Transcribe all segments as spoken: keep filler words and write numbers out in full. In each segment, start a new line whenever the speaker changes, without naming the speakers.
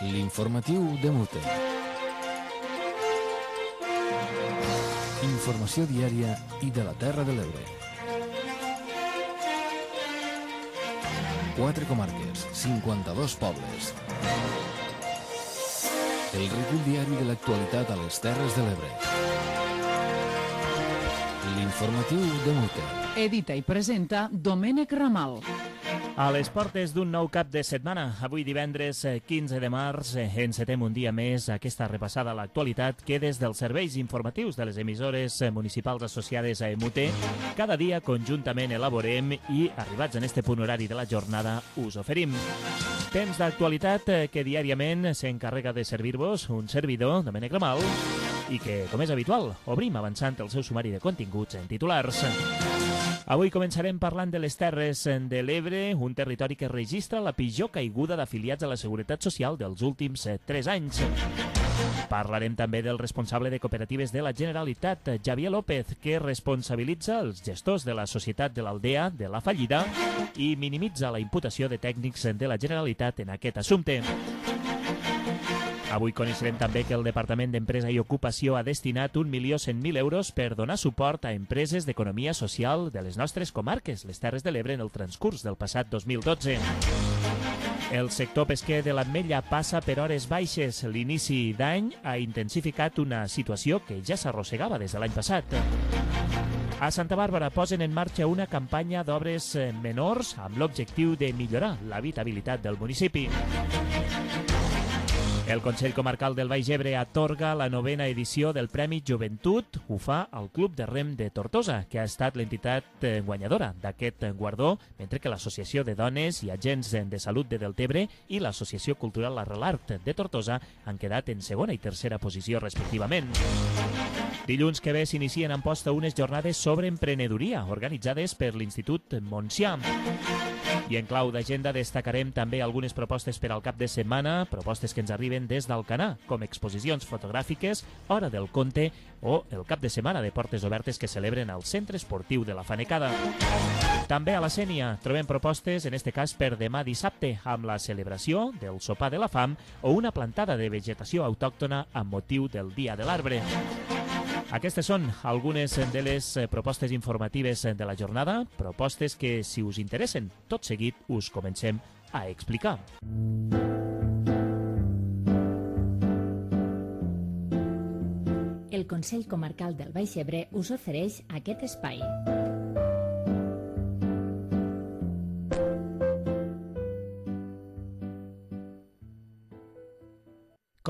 L'informatiu de Mute. Informació diària i de la Terra de l'Ebre. Quatre comarques, cinquanta-dos pobles. El recull diari de l'actualitat a les Terres de l'Ebre. L'informatiu de Mute.
Edita i presenta Domènec Ramal.
A les portes d'un nou cap de setmana, avui divendres quinze de març, encetem un dia més aquesta repassada a l'actualitat que des dels serveis informatius de les emissores municipals associades a Mute cada dia conjuntament elaborem i, arribats en este punt horari de la jornada, us oferim. Temps d'actualitat que diàriament s'encarrega de servir-vos un servidor, Domènec Ramal, i que, com és habitual, obrim avançant el seu sumari de continguts en titulars. Avui començarem parlant de les Terres de l'Ebre, un territori que registra la pitjor caiguda d'afiliats a la Seguretat Social dels últims tres anys. Parlarem també del responsable de cooperatives de la Generalitat, Javier López, que responsabilitza els gestors de la Societat de l'Aldea de la fallida i minimitza la imputació de tècnics de la Generalitat en aquest assumpte. Avui coneixerem també que el Departament d'Empresa i Ocupació ha destinat un milió cent mil euros per donar suport a empreses d'economia social de les nostres comarques, les Terres de l'Ebre, en el transcurs del passat dos mil dotze. El sector pesquer de l'Ametlla passa per hores baixes. L'inici d'any ha intensificat una situació que ja s'arrossegava des de l'any passat. A Santa Bàrbara posen en marxa una campanya d'obres menors amb l'objectiu de millorar l'habitabilitat del municipi. El Consell Comarcal del Baix Ebre atorga la novena edició del Premi Joventut. Ho fa al Club de Rem de Tortosa, que ha estat l'entitat guanyadora d'aquest guardó, mentre que l'Associació de Dones i Agents de Salut de Deltebre i l'Associació Cultural Arrelart de Tortosa han quedat en segona i tercera posició respectivament. Dilluns que ve s'inicien en posta unes jornades sobre emprenedoria organitzades per l'Institut Montsià. I en clau d'agenda destacarem també algunes propostes per al cap de setmana, propostes que ens arriben des d'Alcanar, com exposicions fotogràfiques, Hora del Conte o el cap de setmana de portes obertes que celebren al Centre Esportiu de la Fanecada. També a la Sénia trobem propostes, en este cas per demà dissabte, amb la celebració del sopar de la fam o una plantada de vegetació autòctona amb motiu del Dia de l'Arbre. Aquestes són algunes de les propostes informatives de la jornada, propostes que, si us interessen, tot seguit us comencem a explicar.
El Consell Comarcal del Baix Ebre us ofereix aquest espai.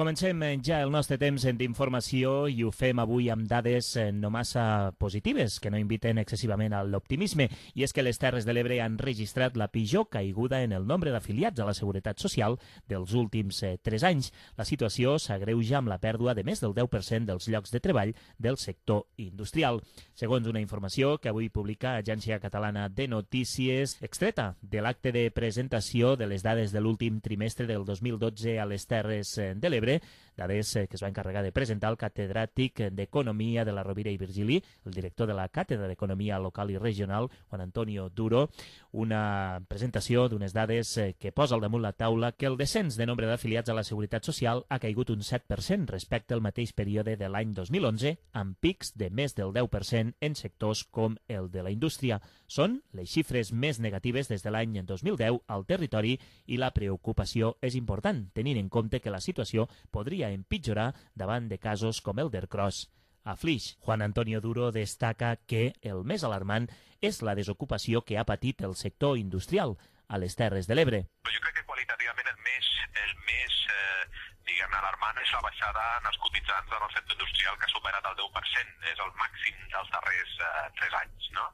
Comencem ja el nostre temps d'informació i ho fem avui amb dades no massa positives, que no inviten excessivament a l'optimisme, i és que les Terres de l'Ebre han registrat la pitjor caiguda en el nombre d'afiliats a la Seguretat Social dels últims tres anys. La situació s'agreuja amb la pèrdua de més del deu per cent dels llocs de treball del sector industrial. Segons una informació que avui publica Agència Catalana de Notícies, extreta de l'acte de presentació de les dades de l'últim trimestre del dos mil dotze a les Terres de l'Ebre, dades que es va encarregar de presentar el catedràtic d'Economia de la Rovira i Virgili, el director de la Càtedra d'Economia Local i Regional, Juan Antonio Duro, una presentació d'unes dades que posa al damunt la taula que el descens de nombre d'afiliats a la Seguretat Social ha caigut un set per cent respecte al mateix període de l'any dos mil onze, amb pics de més del deu per cent en sectors com el de la indústria. Són les xifres més negatives des de l'any dos mil deu al territori i la preocupació és important, tenint en compte que la situació podria empitjorar davant de casos com el d'Ercros. A Flix, Juan Antonio Duro destaca que el més alarmant és la desocupació que ha patit el sector industrial a les Terres de l'Ebre.
Jo crec que qualitativament el més, el més eh, diguem, alarmant és la baixada en els cotitzants en el sector industrial, que ha superat el deu per cent, és el màxim dels darrers eh, tres anys, no?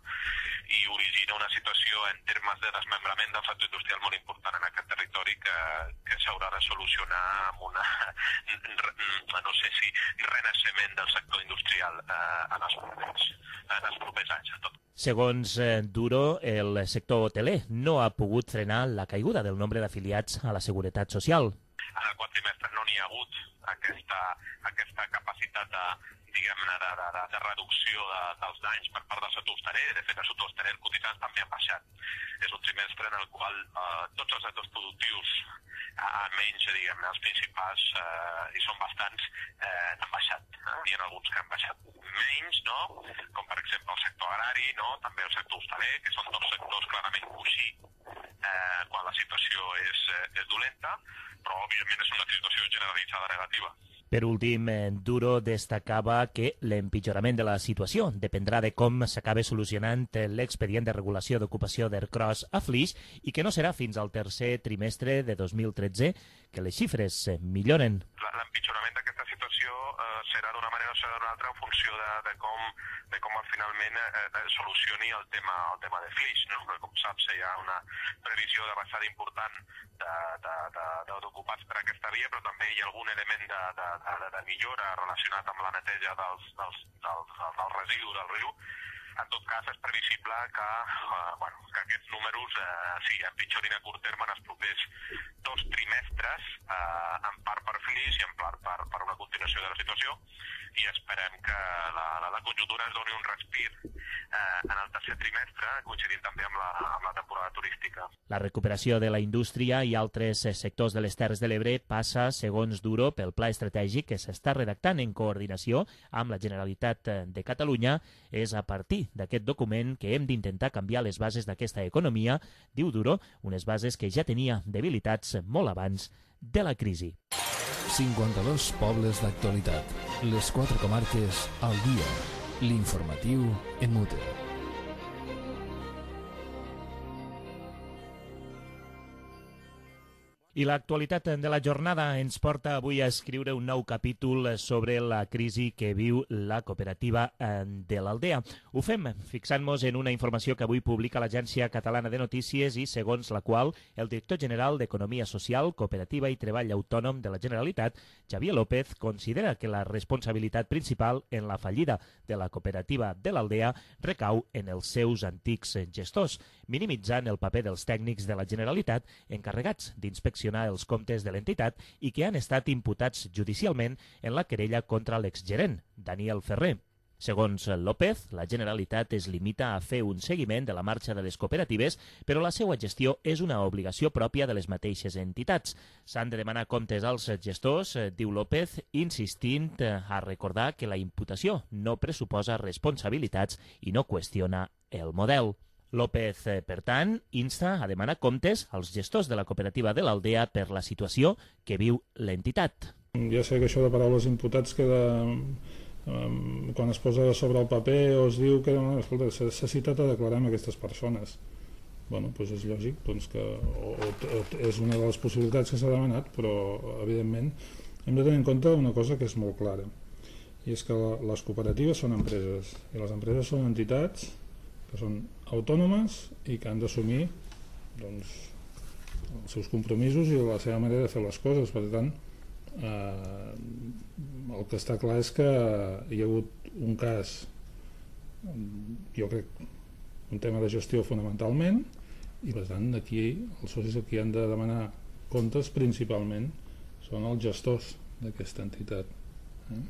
I origina una situació en termes de desmembrament del sector industrial molt important en aquest territori que, que s'haurà de solucionar amb una, no sé si, renaixement del sector industrial eh, en, els propers, en els propers anys. Tot.
Segons eh, Duro, el sector hoteler no ha pogut frenar la caiguda del nombre d'afiliats a la Seguretat Social.
En el quart trimestre no n'hi ha hagut aquesta, aquesta capacitat de, diguem-ne, de, de, de, de reducció de, dels danys per part del sector hosteler. De fet, el sector hosteler cotitzants també han baixat. És un trimestre en el qual eh, tots els sectors productius almenys, diguem-ne, els principals, eh, i són bastants, eh, han baixat. Eh? N'hi ha alguns que han baixat menys, no? Com per exemple el sector agrari, no? També el sector hostaler, que són dos sectors clarament coixí eh, quan la situació és, eh, és dolenta, però òbviament és una situació generalitzada negativa.
Per últim, Duro destacava que l'empitjorament de la situació dependrà de com s'acabe solucionant l'expedient de regulació d'ocupació d'Ercros a Flix i que no serà fins al tercer trimestre de dos mil tretze que les xifres milloren.
L'empitjorament d'aquesta situació eh, serà d'una manera o serà d'una altra en funció de, de com, de com finalment eh, solucioni el tema, el tema de Flix. No? Com saps, hi ha una previsió de baixada important d'ocupats per aquesta via, però també hi ha algun element de, de, de, de millora relacionat amb la neteja dels, dels, dels, del residu del riu. En tot cas, és previsible que, eh, bueno, que aquests números eh, sí, empitjorin a curt terme en els propers dos trimestres, eh, en part per Flix i en part per, per una continuació de la situació, i esperem que la, la, la conjuntura es doni un respir eh, en el tercer trimestre, coincidint també amb la, amb la temporada turística.
La recuperació de la indústria i altres sectors de les Terres de l'Ebre passa, segons Duro, pel pla estratègic que s'està redactant en coordinació amb la Generalitat de Catalunya. És a partir d'aquest document que hem d'intentar canviar les bases d'aquesta economia, diu Duro, unes bases que ja tenia debilitats molt abans de la crisi.
cinquanta-dos pobles d'actualitat. Les quatre comarques al dia. L'informatiu en Mute.
I l'actualitat de la jornada ens porta avui a escriure un nou capítol sobre la crisi que viu la cooperativa de l'Aldea. Ho fem fixant-nos en una informació que avui publica l'Agència Catalana de Notícies i segons la qual el director general d'Economia Social, Cooperativa i Treball Autònom de la Generalitat, Xavier López, considera que la responsabilitat principal en la fallida de la cooperativa de l'Aldea recau en els seus antics gestors, minimitzant el paper dels tècnics de la Generalitat encarregats d'inspeccionar els comptes de l'entitat i que han estat imputats judicialment en la querella contra l'exgerent, Daniel Ferrer. Segons López, la Generalitat es limita a fer un seguiment de la marxa de les cooperatives, però la seva gestió és una obligació pròpia de les mateixes entitats. S'han de demanar comptes als gestors, diu López, insistint a recordar que la imputació no pressuposa responsabilitats i no qüestiona el model. López, per tant, insta a demanar comptes als gestors de la cooperativa de l'Aldea per la situació que viu l'entitat.
Ja sé que això de paraules imputats queda... Um, quan es posa sobre el paper o es diu que no, escolta, s'ha citat a declarar amb aquestes persones. Bueno, doncs és lògic doncs que, o, o, és una de les possibilitats que s'ha demanat, però evidentment hem de tenir en compte una cosa que és molt clara, i és que la, les cooperatives són empreses i les empreses són entitats que són autònomes i que han d'assumir doncs, els seus compromisos i la seva manera de fer les coses. Per tant, eh, el que està clar és que hi ha hagut un cas, jo crec, un tema de gestió fonamentalment, i per tant aquí els socis que han de demanar comptes principalment són els gestors d'aquesta entitat. Eh?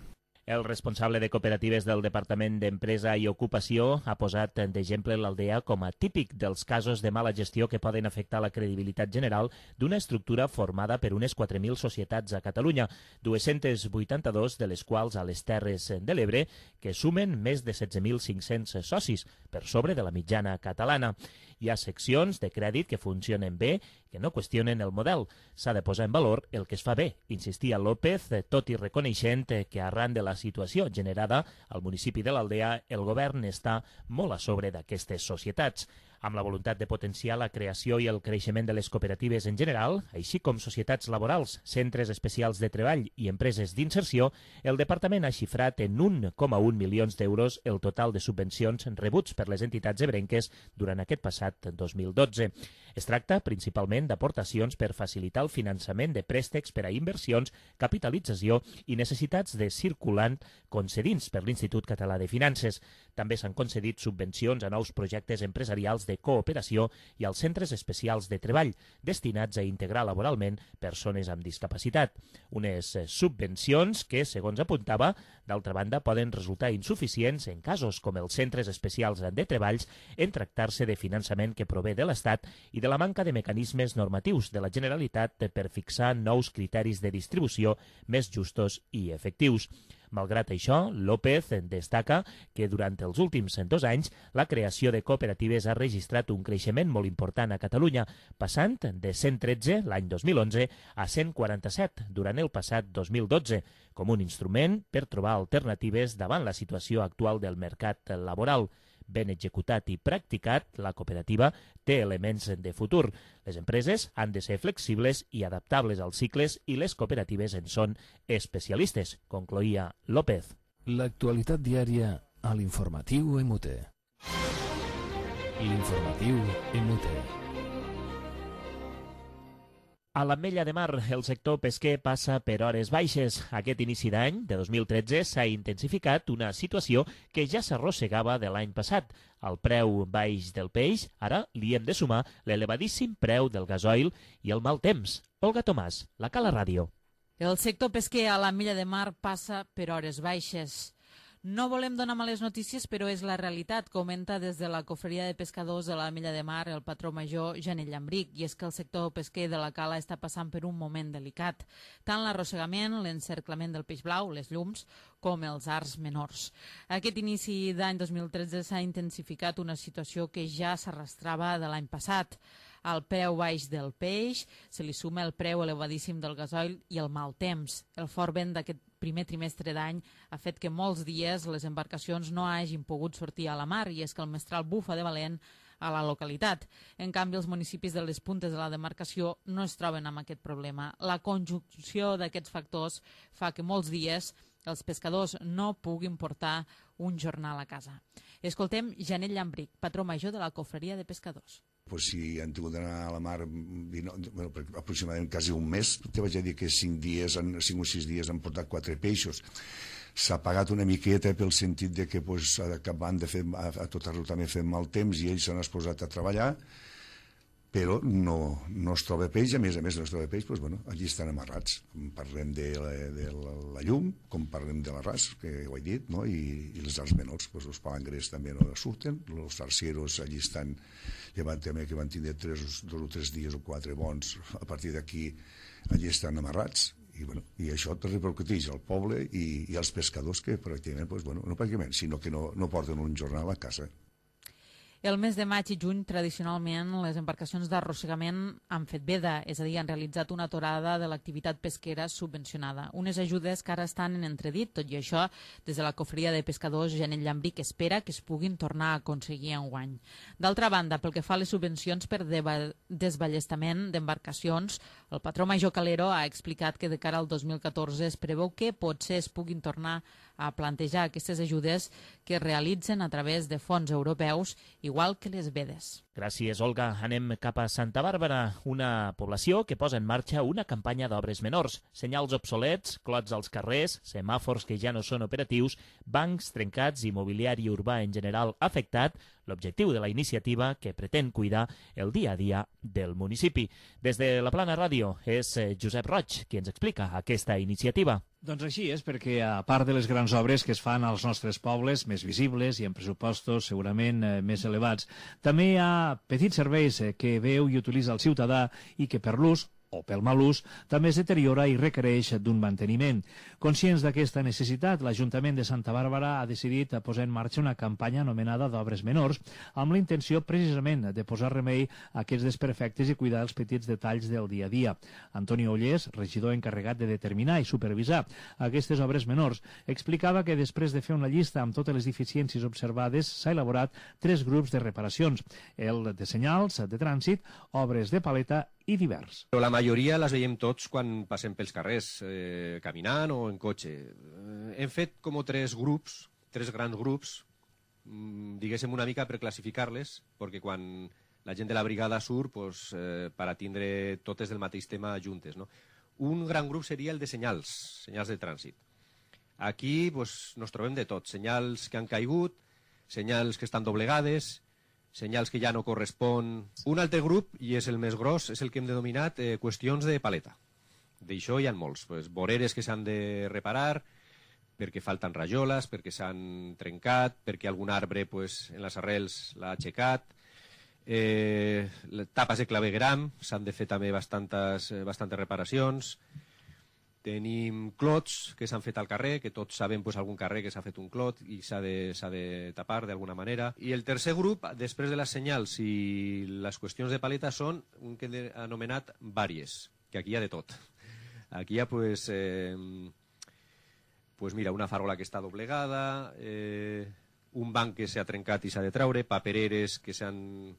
El responsable de cooperatives del Departament d'Empresa i Ocupació ha posat d'exemple l'Aldea com a típic dels casos de mala gestió que poden afectar la credibilitat general d'una estructura formada per unes quatre mil societats a Catalunya, dues-centes vuitanta-dos de les quals a les Terres de l'Ebre, que sumen més de setze mil cinc-cents socis, per sobre de la mitjana catalana. Hi ha seccions de crèdit que funcionen bé, que no qüestionen el model. S'ha de posar en valor el que es fa bé, insistia López, tot i reconeixent que arran de la situació generada al municipi de l'Aldea, el govern està molt a sobre d'aquestes societats. Amb la voluntat de potenciar la creació i el creixement de les cooperatives en general, així com societats laborals, centres especials de treball i empreses d'inserció, el Departament ha xifrat en un coma un milions d'euros el total de subvencions rebuts per les entitats ebrenques durant aquest passat dos mil dotze. Es tracta principalment d'aportacions per facilitar el finançament de préstecs per a inversions, capitalització i necessitats de circulant concedits per l'Institut Català de Finances. També s'han concedit subvencions a nous projectes empresarials de de cooperació i als centres especials de treball, destinats a integrar laboralment persones amb discapacitat. Unes subvencions que, segons apuntava, d'altra banda, poden resultar insuficients en casos com els centres especials de treballs en tractar-se de finançament que prové de l'Estat i de la manca de mecanismes normatius de la Generalitat per fixar nous criteris de distribució més justos i efectius. Malgrat això, López destaca que durant els últims dos anys la creació de cooperatives ha registrat un creixement molt important a Catalunya, passant de cent tretze l'any dos mil onze a cent quaranta-set durant el passat dos mil dotze, com un instrument per trobar alternatives davant la situació actual del mercat laboral. Ben executat i practicat, la cooperativa té elements de futur. Les empreses han de ser flexibles i adaptables als cicles i les cooperatives en són especialistes, concloïa López.
L'actualitat diària a l'informatiu M U T. L'informatiu M U T.
A l'Ametlla de Mar, el sector pesquer passa per hores baixes. Aquest inici d'any, de dos mil tretze, s'ha intensificat una situació que ja s'arrossegava de l'any passat. Al preu baix del peix, ara li hem de sumar l'elevadíssim preu del gasoil i el mal temps. Olga Tomàs, la Cala Ràdio.
El sector pesquer a l'Ametlla de Mar passa per hores baixes. No volem donar males notícies, però és la realitat, comenta des de la Cofreria de Pescadors de l'Ametlla de Mar el patró major Janell Llambric, i és que el sector pesquer de la cala està passant per un moment delicat. Tant l'arrossegament, l'encerclament del peix blau, les llums, com els arts menors. Aquest inici d'any dos mil tretze s'ha intensificat una situació que ja s'arrastrava de l'any passat. Al preu baix del peix se li suma el preu elevadíssim del gasoil i el mal temps. El fort vent d'aquest primer trimestre d'any ha fet que molts dies les embarcacions no hagin pogut sortir a la mar, i és que el mestral bufa de valent a la localitat. En canvi, els municipis de les puntes de la demarcació no es troben amb aquest problema. La conjunció d'aquests factors fa que molts dies els pescadors no puguin portar un jornal a casa. Escoltem Janell Llambric, patró major de la Cofreria de Pescadors.
Pues si han tingut d'anar a la mar bueno, aproximadament quasi un mes, te vaig a dir que cinc dies, cinc o sis dies han portat quatre peixos. S'ha pagat una miqueta pel sentit de que pues, acabant de fer, a, a tot arreu també fem mal temps i ells s'han exposat a treballar, però no, no es troba peix, a més a més no es troba peix, doncs, bueno, allí estan amarrats. Com parlem de la, de la llum, com parlem de l'arràs, que ho he dit, no? I, i les arts menors, doncs, els palangres també no surten, els tarcieros allí estan, llevant també que van tindre tres, dos o tres dies o quatre bons, a partir d'aquí allí estan amarrats, i, bueno, i això te repercuteix al poble i, i als pescadors que pràcticament, doncs, bueno, no pràcticament, sinó que no, no porten un jornal a casa.
El mes de maig i juny, tradicionalment, les embarcacions d'arrossegament han fet veda, és a dir, han realitzat una aturada de l'activitat pesquera subvencionada. Unes ajudes que ara estan en entredit, tot i això, des de la Cofreria de Pescadors, Janell Llambric espera que es puguin tornar a aconseguir enguany. D'altra banda, pel que fa a les subvencions per desballestament d'embarcacions, el patró major Calero ha explicat que de cara al dos mil catorze es preveu que potser es puguin tornar a plantejar aquestes ajudes que es realitzen a través de fons europeus, igual que les vedes.
Gràcies, Olga. Anem cap a Santa Bàrbara, una població que posa en marxa una campanya d'obres menors. Senyals obsolets, clots als carrers, semàfors que ja no són operatius, bancs trencats i mobiliari urbà en general afectat, l'objectiu de la iniciativa que pretén cuidar el dia a dia del municipi. Des de la Plana Ràdio és Josep Roig qui ens explica aquesta iniciativa.
Doncs així és, perquè a part de les grans obres que es fan als nostres pobles, més visibles i amb pressupostos segurament eh, més elevats, també hi ha petits serveis eh, que veu i utilitza el ciutadà i que per l'ús o pel mal ús, també es deteriora i requereix d'un manteniment. Conscients d'aquesta necessitat, l'Ajuntament de Santa Bàrbara ha decidit posar en marxa una campanya anomenada d'obres menors, amb la intenció precisament de posar remei a aquests desperfectes i cuidar els petits detalls del dia a dia. Antoni Ollés, regidor encarregat de determinar i supervisar aquestes obres menors, explicava que després de fer una llista amb totes les deficiències observades s'ha elaborat tres grups de reparacions, el de senyals, de trànsit, obres de paleta i divers.
La majoria les veiem tots quan passem pels carrers, eh, caminant o en cotxe. Eh, hem fet com tres grups, tres grans grups, diguéssim una mica per classificar-les, perquè quan la gent de la brigada surt, pues, eh, per a tindre totes del mateix tema juntes, no? Un gran grup seria el de senyals, senyals de trànsit. Aquí pues, nos trobem de tot, senyals que han caigut, senyals que estan doblegades, senyals que ja no correspon. Un altre grup, i és el més gros, és el que hem denominat eh, qüestions de paleta. D'això hi ha molts. Pues, voreres que s'han de reparar, perquè falten rajoles, perquè s'han trencat, perquè algun arbre pues, en les arrels l'ha aixecat. Eh, tapes de clavegueram, s'han de fer també bastantes, eh, bastantes reparacions. Tenim clots que s'han fet al carrer, que tots sabem pues, algun carrer que s'ha fet un clot i s'ha de, s'ha de tapar d'alguna manera. I el tercer grup, després de les senyals i les qüestions de paleta, són un que he anomenat vàries, que aquí hi ha de tot. Aquí hi ha, pues, eh, pues mira, una farola que està doblegada, eh, un banc que s'ha trencat i s'ha de traure, papereres que s'han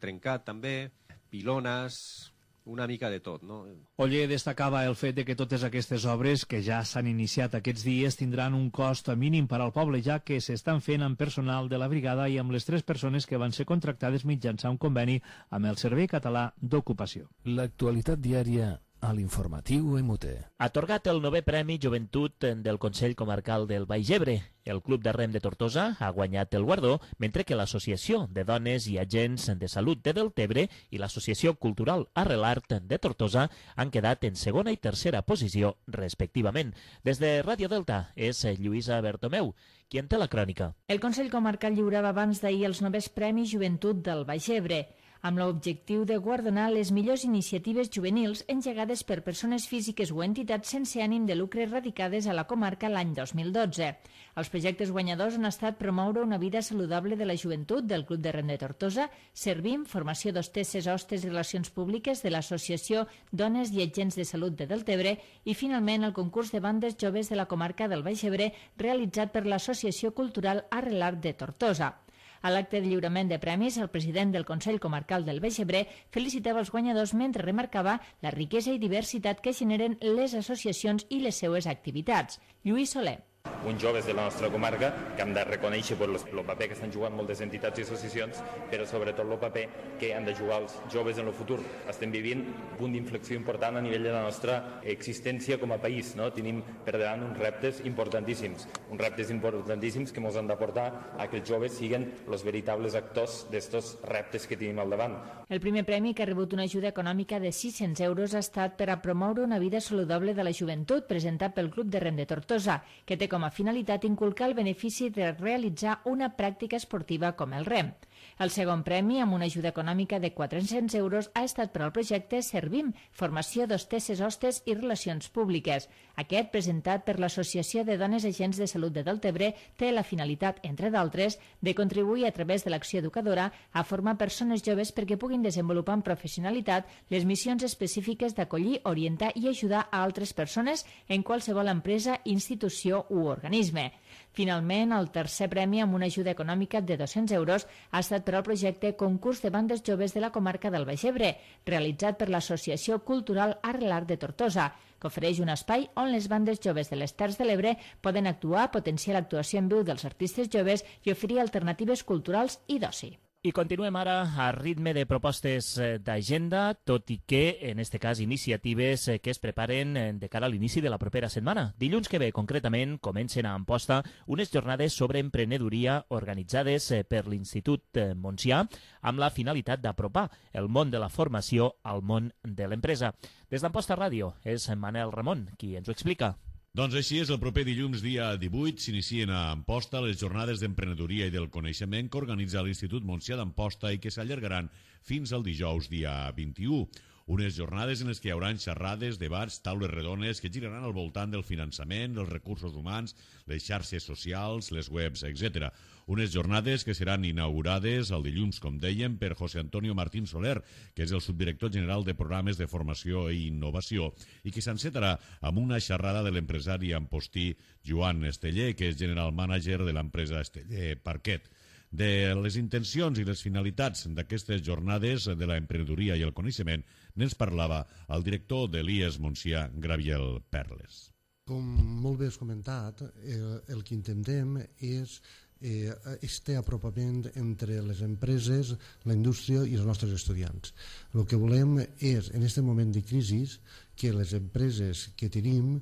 trencat també, pilones, una mica de tot, no?
Oller destacava el fet de que totes aquestes obres que ja s'han iniciat aquests dies tindran un cost mínim per al poble, ja que s'estan fent amb personal de la brigada i amb les tres persones que van ser contractades mitjançant un conveni amb el Servei Català d'Ocupació.
L'actualitat diària a l'informatiu M T.
Atorgat el novè Premi Joventut del Consell Comarcal del Baix Ebre. El Club de Rem de Tortosa ha guanyat el guardó, mentre que l'Associació de Dones i Agents de Salut de Deltebre i l'Associació Cultural Arrelart de Tortosa han quedat en segona i tercera posició, respectivament. Des de Ràdio Delta és Lluïsa Bertomeu, qui en té la crònica.
El Consell Comarcal lliurava abans d'ahir els novès Premis Joventut del Baix Ebre, amb l'objectiu de guardonar les millors iniciatives juvenils engegades per persones físiques o entitats sense ànim de lucre radicades a la comarca l'any dos mil dotze. Els projectes guanyadors han estat promoure una vida saludable de la joventut del Club de Rem de Tortosa, Servim, formació d'hostesses, hostes i relacions públiques de l'Associació Dones i Agents de Salut de Deltebre i, finalment, el concurs de bandes joves de la comarca del Baix Ebre realitzat per l'Associació Cultural Arrelart de Tortosa. A l'acte de lliurament de premis, el president del Consell Comarcal del Baix Ebre felicitava els guanyadors mentre remarcava la riquesa i diversitat que generen les associacions i les seues activitats. Lluís Soler.
Uns joves de la nostra comarca que hem de reconèixer el paper que estan jugant moltes entitats i associacions, però sobretot el paper que han de jugar els joves en el futur. Estem vivint un punt d'inflexió important a nivell de la nostra existència com a país. No? Tenim per davant uns reptes importantíssims, uns reptes importantíssims que ens han de portar a que els joves siguin els veritables actors d'estos reptes que tenim al davant.
El primer premi, que ha rebut una ajuda econòmica de sis-cents euros, ha estat per a promoure una vida saludable de la joventut, presentat pel Club de Rem de Tortosa, que té com a finalitat inculcar el benefici de realitzar una pràctica esportiva com el rem. El segon premi, amb una ajuda econòmica de quatre-cents euros, ha estat per al projecte Servim, formació d'hostesses, hostes i relacions públiques. Aquest, presentat per l'Associació de Dones Agents de Salut de Deltebre, té la finalitat, entre d'altres, de contribuir a través de l'acció educadora a formar persones joves perquè puguin desenvolupar amb professionalitat les missions específiques d'acollir, orientar i ajudar a altres persones en qualsevol empresa, institució u organisme. Finalment, el tercer premi, amb una ajuda econòmica de dos-cents euros, ha estat per al projecte Concurs de Bandes Joves de la comarca del Baix Ebre, realitzat per l'Associació Cultural Arrelart de Tortosa, que ofereix un espai on les bandes joves de les Terres de l'Ebre poden actuar, potenciar l'actuació en viu dels artistes joves i oferir alternatives culturals i d'oci.
I continuem ara a ritme de propostes d'agenda, tot i que, en aquest cas, iniciatives que es preparen de cara a l'inici de la propera setmana. Dilluns que ve, concretament, comencen a Amposta unes jornades sobre emprenedoria organitzades per l'Institut Montsià amb la finalitat d'apropar el món de la formació al món de l'empresa. Des d'Amposta Ràdio és Manel Ramon qui ens ho explica.
Doncs així és, el proper dilluns, dia divuit, s'inicien a Amposta les jornades d'emprenedoria i del coneixement que organitza l'Institut Montsià d'Amposta i que s'allargaran fins al dijous, dia vint-i-u. Unes jornades en les que hi haurà xerrades, debats, taules redones que giraran al voltant del finançament, els recursos humans, les xarxes socials, les webs, etcètera. Unes jornades que seran inaugurades el dilluns, com dèiem, per José Antonio Martín Soler, que és el subdirector general de programes de formació i innovació, i que s'encetarà amb una xerrada de l'empresari ampostí Joan Esteller, que és general manager de l'empresa Esteller Parquet. De les intencions i les finalitats d'aquestes jornades de l'emprenedoria i el coneixement n'ens parlava el director de l'I E S Montsià, Graviel Perles.
Com molt bé has comentat, el, el que intentem és eh, este apropament entre les empreses, la indústria i els nostres estudiants. El que volem és, en aquest moment de crisi, que les empreses que tenim,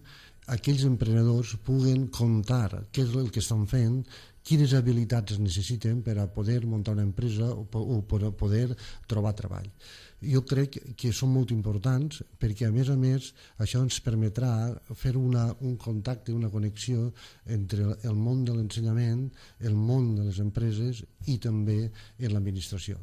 aquells emprenedors puguen contar què és el que estan fent quines habilitats es necessiten per a poder muntar una empresa o, o per a poder trobar treball. Jo crec que són molt importants perquè, a més a més, això ens permetrà fer una, un contacte, una connexió entre el món de l'ensenyament, el món de les empreses i també en l'administració.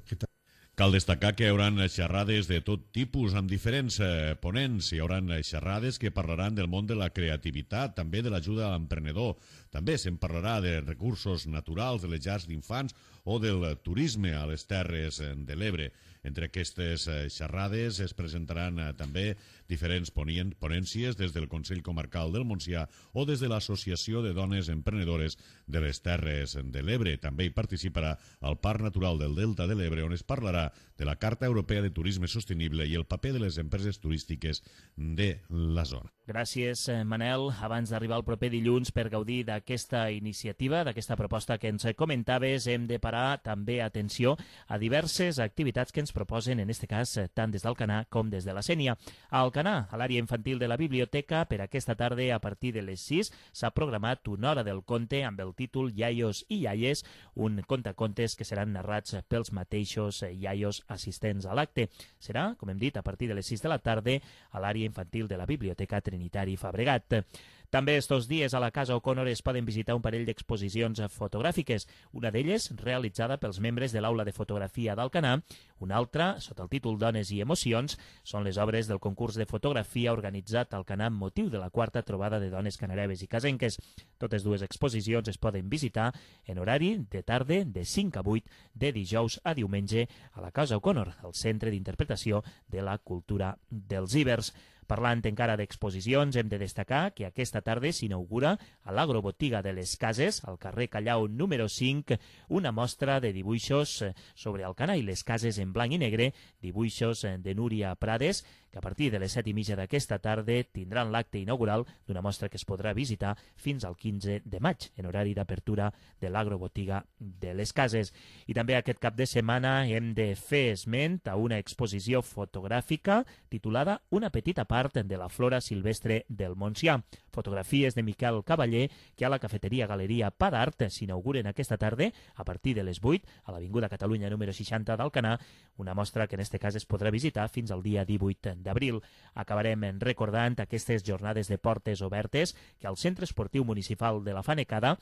Cal destacar que hi haurà xerrades de tot tipus amb diferents eh, ponents. Hi haurà xerrades que parlaran del món de la creativitat, també de l'ajuda a l'emprenedor. També se'n parlarà de recursos naturals, de les llars d'infants o del turisme a les Terres de l'Ebre. Entre aquestes xerrades es presentaran també diferents ponències des del Consell Comarcal del Montsià o des de l'Associació de Dones Emprenedores de les Terres de l'Ebre. També hi participarà el Parc Natural del Delta de l'Ebre, on es parlarà de la Carta Europea de Turisme Sostenible i el paper de les empreses turístiques de la zona.
Gràcies, Manel. Abans d'arribar el proper dilluns per gaudir d'aquesta iniciativa, d'aquesta proposta que ens comentaves, hem de parar també atenció a diverses activitats que ens proposen, en aquest cas, tant des d'Alcanar com des de la Sénia. A Alcanar, a l'àrea infantil de la biblioteca, per aquesta tarda, a partir de les sis, s'ha programat una hora del conte amb el títol Iaios i Iaies, un contacontes que seran narrats pels mateixos iaios assistents a l'acte. Serà, com hem dit, a partir de les sis de la tarda a l'àrea infantil de la biblioteca Trinitari Fabregat. També estos dies a la Casa O'Connor es poden visitar un parell d'exposicions fotogràfiques, una d'elles realitzada pels membres de l'Aula de Fotografia d'Alcanar, una altra, sota el títol Dones i Emocions, són les obres del concurs de fotografia organitzat a Alcanar amb motiu de la quarta trobada de dones canareves i casenques. Totes dues exposicions es poden visitar en horari de tarda de cinc a vuit de dijous a diumenge a la Casa O'Connor, el Centre d'Interpretació de la Cultura dels Ibers. Parlant encara d'exposicions, hem de destacar que aquesta tarda s'inaugura a l'Agrobotiga de les Cases, al carrer Callau número cinc, una mostra de dibuixos sobre Alcanar i les cases en blanc i negre, dibuixos de Núria Prades, que a partir de les set i mitja d'aquesta tarda tindran l'acte inaugural d'una mostra que es podrà visitar fins al quinze de maig, en horari d'apertura de l'Agrobotiga de les Cases. I també aquest cap de setmana hem de fer esment a una exposició fotogràfica titulada Una petita part de la flora silvestre del Montsià. Fotografies de Miquel Cavaller, que a la cafeteria Galeria Pa d'Art s'inauguren aquesta tarda a partir de les vuit a l'Avinguda Catalunya número seixanta d'Alcanar, una mostra que en aquest cas es podrà visitar fins al dia divuit d'abril. Acabarem recordant aquestes jornades de portes obertes que al Centre Esportiu Municipal de la Fanecada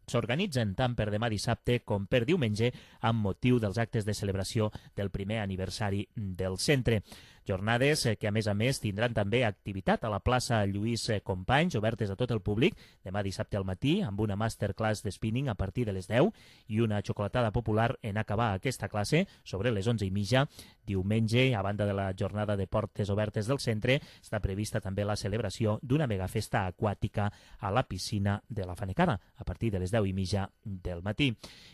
s'organitzen tant per demà dissabte com per diumenge amb motiu dels actes de celebració del primer aniversari del centre. Jornades que, a més a més, tindran també activitat a la plaça Lluís Companys, obertes a tot el públic, demà dissabte al matí, amb una masterclass de spinning a partir de les deu i una xocolatada popular en acabar aquesta classe sobre les onze i mitja. Diumenge, a banda de la jornada de portes obertes del centre, està prevista també la celebració d'una megafesta aquàtica a la piscina de la Fanecada, a partir de les deu i mitja del matí.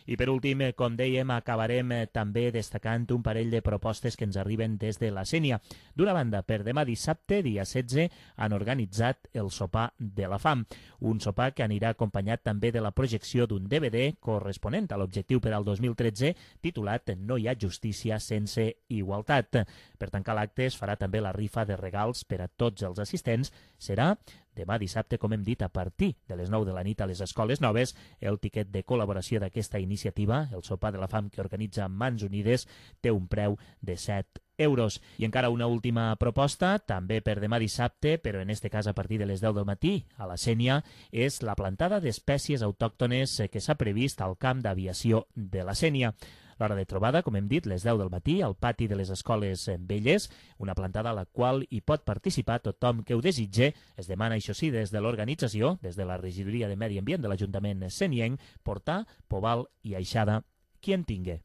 I per últim, com dèiem, acabarem també destacant un parell de propostes que ens arriben des de la Sénia. D'una banda, per demà dissabte, dia setze, han organitzat el sopar de la fam, un sopar que anirà acompanyat també de la projecció d'un D V D corresponent a l'objectiu per al dos mil tretze, titulat No hi ha justícia sense igualtat. Per tancar l'acte es farà també la rifa de regals per a tots els assistents. Serà demà dissabte, com hem dit, a partir de les nou de la nit a les Escoles Noves. El tiquet de col·laboració d'aquesta iniciativa, el sopar de la fam que organitza Mans Unides, té un preu de set euros. I encara una última proposta, també per demà dissabte, però en este cas a partir de les deu del matí, a la Sénia, és la plantada d'espècies autòctones que s'ha previst al camp d'aviació de la Sénia. L'hora de trobada, com hem dit, les deu del matí, al pati de les Escoles Velles, una plantada a la qual hi pot participar tothom que ho desitge. Es demana, això sí, des de l'organització, des de la Regidoria de Medi Ambient de l'Ajuntament senienc, portar poval i aixada qui en tingui.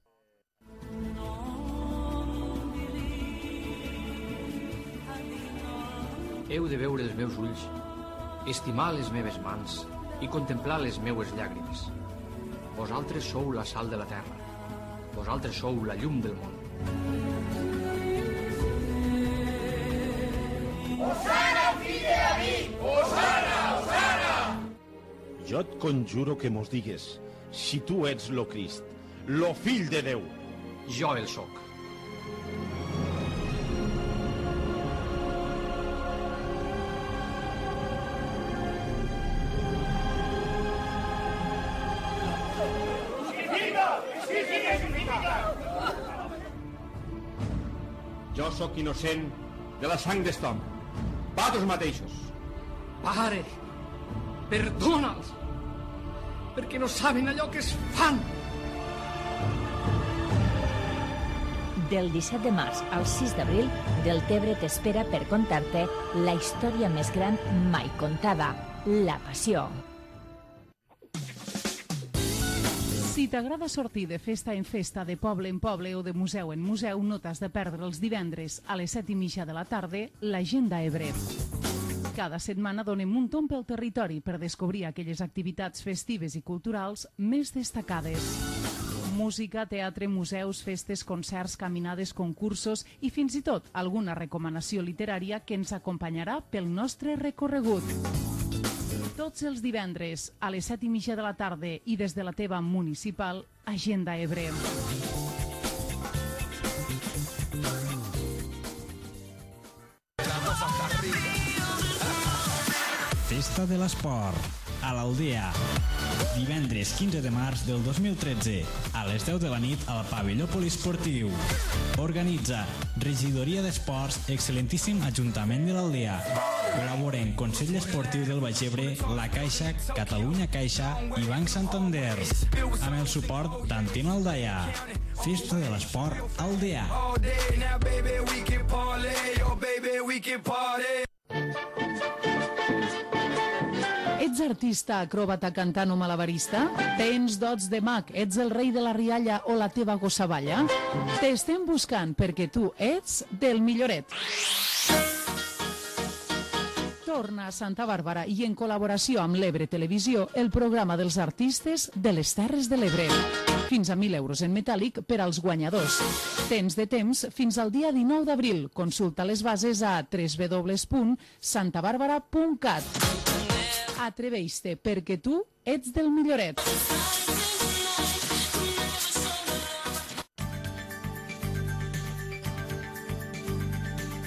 Heu de veure els meus ulls, estimar les meves mans i contemplar les meues llàgrimes. Vosaltres sou la sal de la terra. Vosaltres sou la llum del món.
Osana, fill de David! Osana, Osana!
Jo et conjuro que mos digues si tu ets lo Crist, lo fill de Déu.
Jo el soc.
Jo sóc innocent de la sang d'est home. Vosaltres mateixos.
Pare, perdona'ls, perquè no saben allò que es fan.
Del disset de març al sis d'abril, Deltebre t'espera per contar-te la història més gran mai contada, la Passió.
Si t'agrada sortir de festa en festa, de poble en poble o de museu en museu, no t'has de perdre els divendres a les set i mitja de la tarda l'Agenda Ebre. Cada setmana donem un tomb pel territori per descobrir aquelles activitats festives i culturals més destacades. Música, teatre, museus, festes, concerts, caminades, concursos i fins i tot alguna recomanació literària que ens acompanyarà pel nostre recorregut. Tots els divendres a les set i mitja de la tarda i des de la teva municipal Agenda Ebre.
Festa de l'Esport, a l'Aldea. Divendres quinze de març del dos mil tretze, a les deu de la nit al pavelló poliesportiu. Organitza Regidoria d'Esports, excel·lentíssim Ajuntament de l'Aldea. Col·laboren Consell Esportiu del Baix Ebre, La Caixa, Catalunya Caixa i Banc Santander. Amb el suport d'Antena Aldaia. Festa de l'Esport Aldea.
Ets artista, acròbata, cantant o malabarista? Tens dots de mag, ets el rei de la rialla o la teva gossaballa? T'estem buscant perquè tu ets del milloret. Torna a Santa Bàrbara i en col·laboració amb l'Ebre Televisió el programa dels artistes de les Terres de l'Ebre. Fins a mil euros en metàl·lic per als guanyadors. Tens de temps fins al dia dinou d'abril. Consulta les bases a w w w punt santa bàrbara punt cat. Atreveix-te, perquè tu ets del milloret.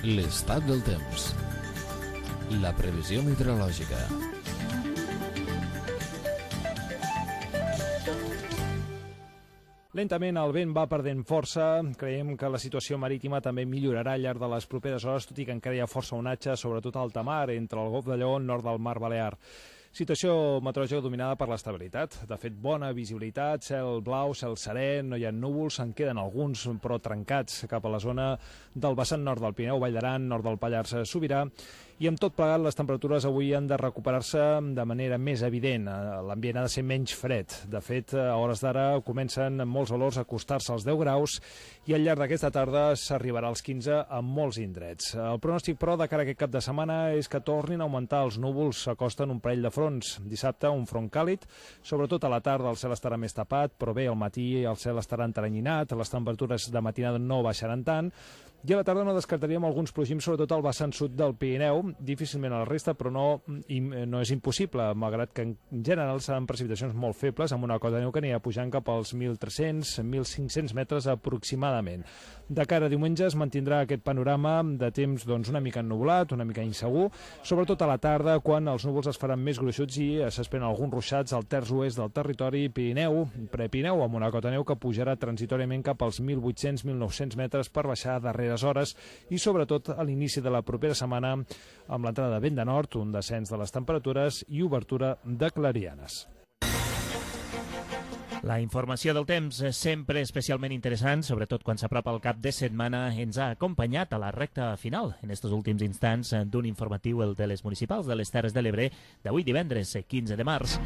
L'estat del temps. La previsió meteorològica.
Lentament el vent va perdent força, creiem que la situació marítima també millorarà al llarg de les properes hores, tot i que encara hi ha força onatge, sobretot a alta mar, entre el Golf de Lleó, nord del Mar Balear. Situació meteorològica dominada per l'estabilitat. De fet, bona visibilitat, cel blau, cel serè, no hi ha núvols, en queden alguns, però trencats cap a la zona del vessant nord del Pirineu, Vall d'Aran, nord del Pallars Sobirà, i amb tot plegat les temperatures avui han de recuperar-se de manera més evident. L'ambient ha de ser menys fred. De fet, a hores d'ara comencen molts valors a acostar-se als deu graus i al llarg d'aquesta tarda s'arribarà als quinze a molts indrets. El pronòstic, però, de cara a aquest cap de setmana és que tornin a augmentar els núvols, s'acosten un parell de fronts. Dissabte, un front càlid, sobretot a la tarda el cel estarà més tapat, però bé, al matí el cel estarà enteranyinat, les temperatures de matinada no baixaran tant, i a la tarda no descartaríem alguns plogims, sobretot al vessant sud del Pirineu, difícilment a la resta, però no, no és impossible, malgrat que en general seran precipitacions molt febles, amb una cota de neu que anirà pujant cap als mil tres-cents a mil cinc-cents metres aproximadament. De cara a diumenge es mantindrà aquest panorama de temps doncs, una mica ennublat, una mica insegur, sobretot a la tarda, quan els núvols es faran més gruixuts i s'esperen alguns ruixats al terç oest del territori Pirineu, Prepirineu, amb una cota de neu que pujarà transitoriament cap als mil vuit-cents a mil nou-cents metres per baixar darreres hores i sobretot a l'inici de la propera setmana amb l'entrada de vent de nord, un descens de les temperatures i obertura de clarianes.
La informació del temps és sempre especialment interessant, sobretot quan s'apropa el cap de setmana, ens ha acompanyat a la recta final, en estos últims instants, d'un informatiu, el de les municipals de les Terres de l'Ebre, d'avui divendres, quinze de març.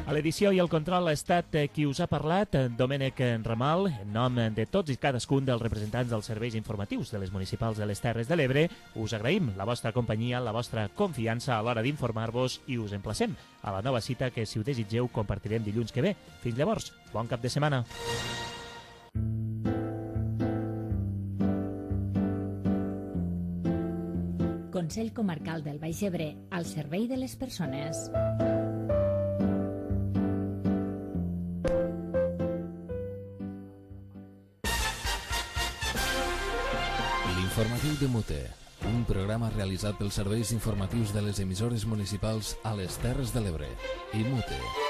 A l'edició i el control ha estat qui us ha parlat, Domènec Ramal, en nom de tots i cadascun dels representants dels serveis informatius de les municipals de les Terres de l'Ebre. Us agraïm la vostra companyia, la vostra confiança a l'hora d'informar-vos i us emplacem a la nova cita que, si ho desitgeu, compartirem dilluns que ve. Fins llavors, bon cap de setmana.
Consell Comarcal del Baix Ebre, al servei de les persones.
L'informatiu de Mute, un programa realitzat pels serveis informatius de les emissores municipals a les Terres de l'Ebre i Mute.